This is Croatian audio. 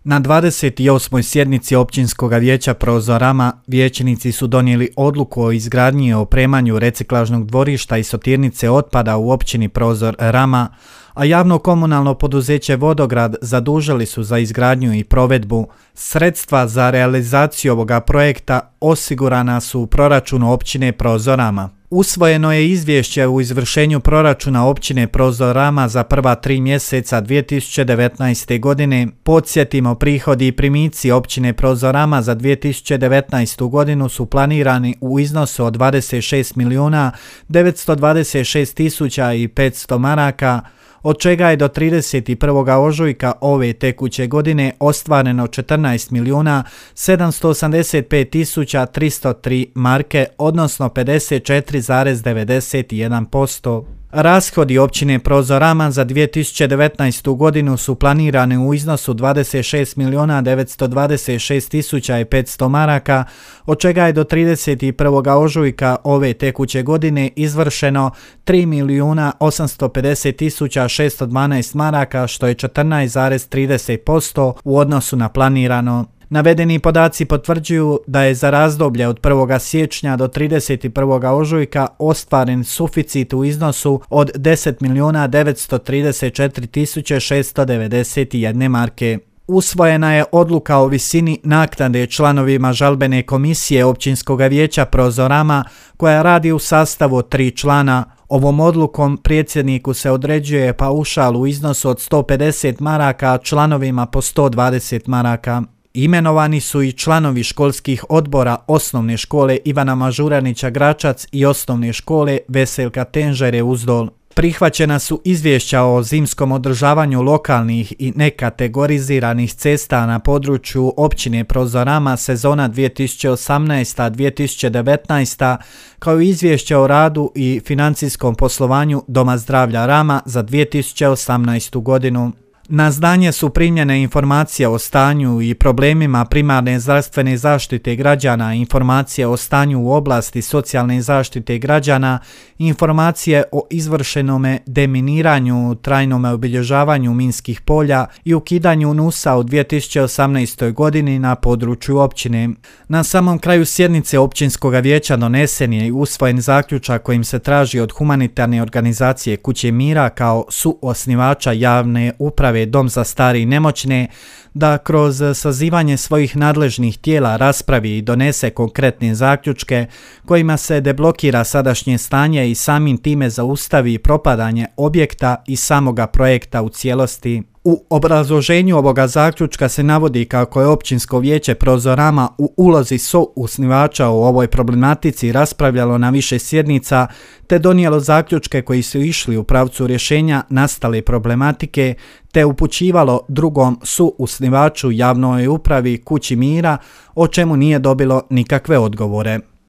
Na 28. sjednici Općinskog vijeća Prozor Rama vijećnici su donijeli odluku o izgradnji i opremanju reciklažnog dvorišta i sortirnice otpada u općini Prozor Rama, a javno komunalno poduzeće Vodograd zadužili su za izgradnju i provedbu. Sredstva za realizaciju ovoga projekta osigurana su u proračunu općine Prozor Rama. Usvojeno je izvješće u izvršenju proračuna općine Prozor Rama za prva 3 mjeseca 2019. godine. Podsjetimo, prihodi i primici općine Prozor Rama za 2019. godinu su planirani u iznosu od 26.926.500 maraka, od čega je do 31. ožujka ove tekuće godine ostvareno 14.785.303 marke, odnosno 54,91%. Rashodi općine Prozor Rama za 2019. godinu su planirani u iznosu 26.926.500 maraka, od čega je do 31. ožujka ove tekuće godine izvršeno 3.850.612 maraka, što je 14,30% u odnosu na planirano. Navedeni podaci potvrđuju da je za razdoblje od 1. siječnja do 31. ožujka ostvaren suficit u iznosu od 10.934.691 marke. Usvojena je odluka o visini naknade članovima žalbene komisije Općinskog vijeća Prozor Rama koja radi u sastavu od 3 člana. Ovom odlukom predsjedniku se određuje paušal u iznosu od 150 maraka, a članovima po 120 maraka. Imenovani su i članovi školskih odbora Osnovne škole Ivana Mažuranića Gračac i Osnovne škole Veselka Tenžere Uzdol. Prihvaćena su izvješća o zimskom održavanju lokalnih i nekategoriziranih cesta na području općine Prozor Rama sezona 2018-2019, kao i izvješće o radu i financijskom poslovanju Doma zdravlja Rama za 2018. godinu. Na znanje su primljene informacije o stanju i problemima primarne zdravstvene zaštite građana, informacije o stanju u oblasti socijalne zaštite građana, informacije o izvršenome deminiranju, trajnome obilježavanju minskih polja i ukidanju NUS-a u 2018. godini na području općine. Na samom kraju sjednice Općinskog vijeća donesen je i usvojen zaključak kojim se traži od humanitarne organizacije Kuće mira kao suosnivača javne uprave Dom za stare i nemoćne da kroz sazivanje svojih nadležnih tijela raspravi i donese konkretne zaključke kojima se deblokira sadašnje stanje i samim time zaustavi propadanje objekta i samoga projekta u cijelosti. U obrazloženju ovoga zaključka se navodi kako je Općinsko vijeće Prozor Rama u ulozi suosnivača u ovoj problematici raspravljalo na više sjednica te donijelo zaključke koji su išli u pravcu rješenja nastale problematike te upućivalo drugom suosnivaču javnoj upravi Kući mira, o čemu nije dobilo nikakve odgovore.